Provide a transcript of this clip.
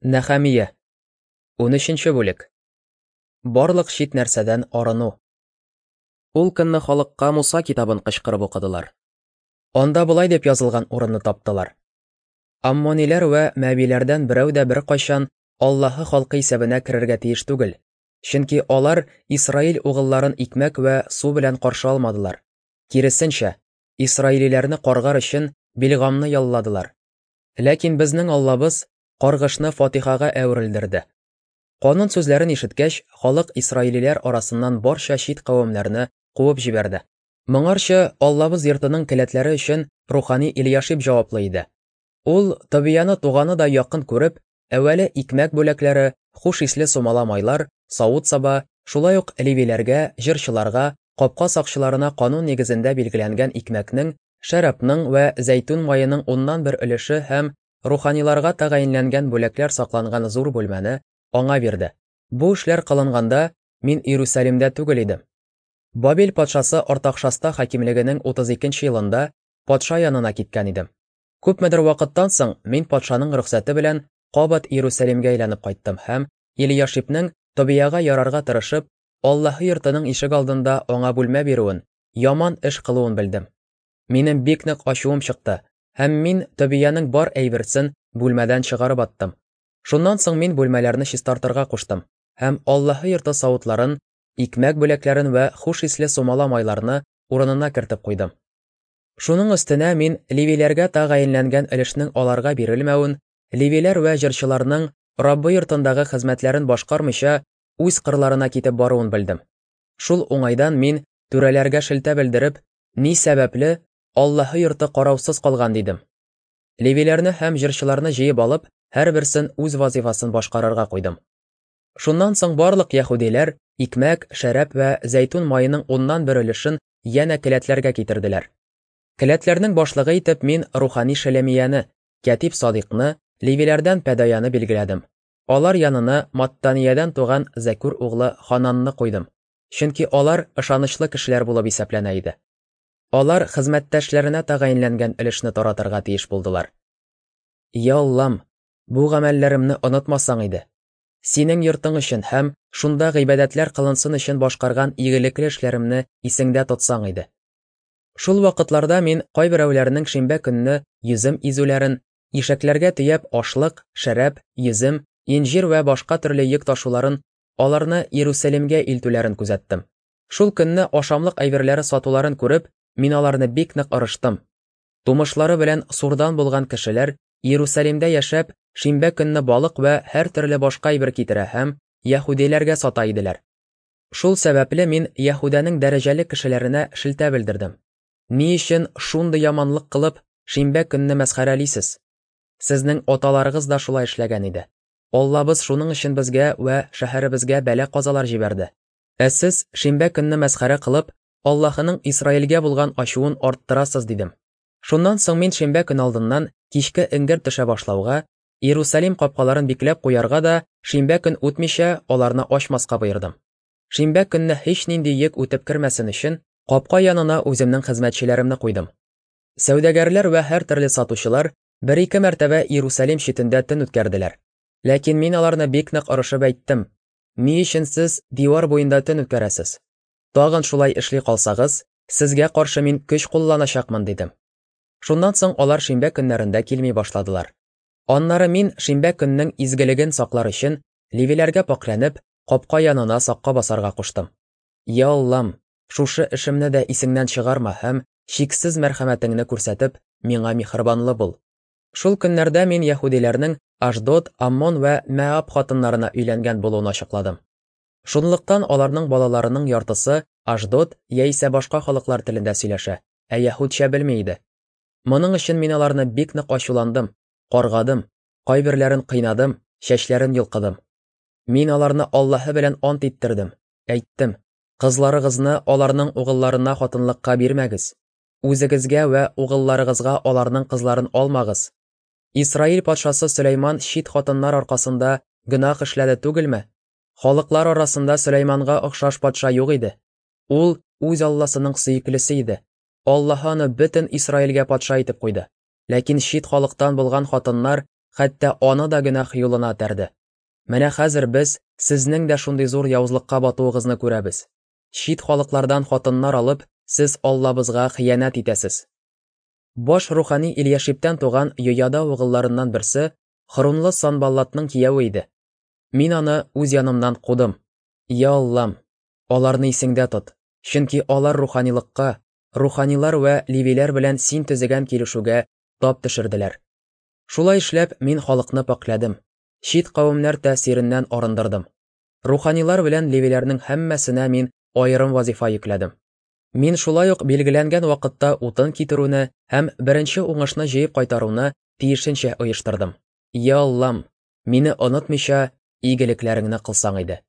Нәхәмия. 13 бүлек. Барлык чит нәрсәдән арыну. Ул көнне халыкка Муса китабын кычкырып укыдылар. Анда болай дип язылган урынны таптылар. Аммониләр вә мәбиләрдән берәү дә беркайчан Аллаһы халкы исәбенә керергә тиеш түгел, чөнки алар Исраил угылларын икмәк вә су белән каршы алмадылар. Киресенчә, исраилиләрне каргар өчен Билгамны ялладылар. Ләкин безнең Аллабыз каргышны фатихага әверелдерде. Канун сүзләрен ишеткәч, халык исраилиләр арасыннан барча чит кавемнәрне куып җибәрде. Моңарчы Аллабыз йортының келәтләре өчен рухани Ильяшиб җаваплы иде. Ул Тобияны туганы да якын күреп, әүвәле икмәк бүләкләре, хуш исле сумала майлар, савыт-саба, шулай ук левиләргә, җырчыларга, капка сакчыларына канун нигезендә билгеләнгән икмәкнең, шәрабның вә зәйтүн маеның уннан бер өлеше һәм руханиларга тәгаенләнгән бүләкләр сакланган зур бүлмәне аңа бирде. Бу эшләр кылынганда, мин Иерусалимдә түгел идем. Бабил патшасы Артакшаста хакимлегенең 32 нче елында патша янына киткән идем. Күпмедер вакыттан соң мин патшаның рөхсәте белән кабат Иерусалимгә әйләнеп кайттым һәм Елияшибнең Тобияга ярарга тырышып, Аллаһы йортының ишек алдында аңа бүлмә бирүен, яман эш кылуын белдем. Минем бик нык ачуым чыкты, һәм мин Тобиянең бар әйберсен бүлмәдән чыгарып аттым. Шуннан соң мин бүлмәләрне чистартырга куштым һәм Аллаһы йорты савытларын, икмәк бүләкләрен вә хуш исле сумала майларны урынына кертеп куйдым. Шуның өстенә мин левиләргә тәгаенләнгән өлешнең аларга бирелмәвен, левиләр вә җырчыларның Раббы йортындагы хезмәтләрен башкармыйча үз кырларына китеп баруын белдем. Шул уңайдан мин түрәләргә шелтә белдереп, ни сәбәпле Аллаһы йорты караусыз калган дидем. Левиләрне һәм җырчыларны җыеп алып, һәрберсен үз вазифасын башкарырга куйдым. Шуннан соң барлык яһүдиләр икмәк, шәраб вә зәйтүн маеның уннан бер өлешен янә келәтләргә китерделәр. Келәтләрнең башлыгы итеп мин рухани Шелемияне, кятип Садикны, левиләрдән Пәдаяны билгеләдем. Алар янына Маттаниядән туган Зәкүр углы Хананны куйдым, чөнки алар ышанычлы кешеләр булып исәпләнә иде. Алар хезмәттәшләренә тәгаенләнгән өлешне таратырга тиеш булдылар. Я Аллам, бу гамәлләремне онытмасаң иде. Синең йортың өчен һәм шунда гыйбадәтләр кылынсын өчен башкарган игелекле эшләремне исеңдә тотсаң иде. Шул вакытларда мин кайберәүләрнең шимбә көнне йөзем изүләрен, ишәкләргә төяп ашлык, шәраб, йөзем, инҗир вә башка төрле йөк ташуларын, аларны Иерусалимгә илтүләрен күзәттем. Шул көнне ашамлык әйберләре сатуларын күреп, мин аларны бик нык ырыштым. Тумышлары белән Сурдан булган кешеләр Иерусалимдә яшәп, шимбә көнне балык вә һәртөрле башка әйбер китерә һәм яһүдиләргә сата иделәр. Шул сәбәпле мин Яһүдәнең дәрәҗәле кешеләренә шелтә белдердем. Ни өчен шундый яманлык кылып, шимбә көнне мәсхәрәлисез? Сезнең аталарыгыз да шулай эшләгән иде. Аллабыз шуның өчен безгә вә шәһәребезгә бәла-казалар җибәрде. Ә сез, шимбә көнне мәсхәрә кылып, Аллаһының Исраилгә булган ачуын арттырасыз, дидем. Шуннан соң мин шимбә көн алдыннан кичке эңгер төшә башлауга, Иерусалим капкаларын бикләп куярга да, шимбә көн үтмичә, аларны ачмаска боердым. Шимбә көнне һичнинди йөк үтеп кермәсен өчен, капка янына үземнең хезмәтчеләремне куйдым. Сәүдәгәрләр вә һәртөрле сатучылар бер-ике мәртәбә Иерусалим читендә төн үткәрделәр. Ләкин мин аларны бик нык орышып әйттем, Ни өчен сез дивар буенда төн үткәрәсез? Тагын шулай эшли калсагыз, сезгә каршы мин көч кулланачакмын, дидем. Шуннан соң алар шимбә көннәрендә килми башладылар. Аннары мин шимбә көннең изгелеген саклар өчен, левиләргә пакьләнеп, капка янына сакка басарга куштым. Я Аллам, шушы эшемне дә исеңнән чыгарма һәм чиксез мәрхәмәтеңне күрсәтеп, миңа миһербанлы бул. Шул көннәрдә мин яһүдиләрнең Ашдод, Аммон вә Мәаб хатыннарына өйләнгән булуын ачыкладым. Шунлыктан аларның балаларының яртысы Ашдод яисә башка халыклар телендә сөйләшә, ә яһүдчә белми иде. Моның өчен мин аларны бик нык ачуландым, каргадым, кайберләрен кыйнадым, чәчләрен йолкыдым. Мин аларны Аллаһы белән ант иттердем, әйттем, Кызларыгызны аларның угылларына хатынлыкка бирмәгез, Үзегезгә вә угылларыгызга аларның кызларын алмагыз. Исраил патшасы Сөләйман чит хатыннар аркасында гөнаһ эшләде түгелме? Халыклар арасында Сөләйманга охшаш патша юк иде. Ул үз Алласының сөеклесе иде. Аллаһы аны бөтен Исраилгә патша итеп куйды. Ләкин чит халыктан булган хатыннар хәтта аны да гөнаһ юлына этәрде. Менә хәзер без сезнең дә шундый зур явызлыкка батуыгызны күрәбез. Чит халыклардан хатыннар алып, сез Аллабызга хыянәт итәсез. Баш рухани Ильяшибтән туган Йояда угылларыннан берсе Хрунлы Санбаллатның кияве иде. Мин аны үз янымнан кудым. Я Аллам, аларны исеңдә тот, чөнки алар руханилыкка, руханилар вә левиләр белән син төзегән килешүгә тап төшерделәр. Шулай эшләп, мин халыкны пакьләдем, чит кавемнәр тәэсиреннән арындырдым. Руханилар белән левиләрнең һәммәсенә мин аерым вазифа йөкләдем. Мин шулай ук билгеләнгән вакытта утын китерүне һәм беренче уңышны җыеп кайтаруны тиешенчә оештырдым. Я Аллам, мине онытмыйча, игелекләреңне кылсаң иде.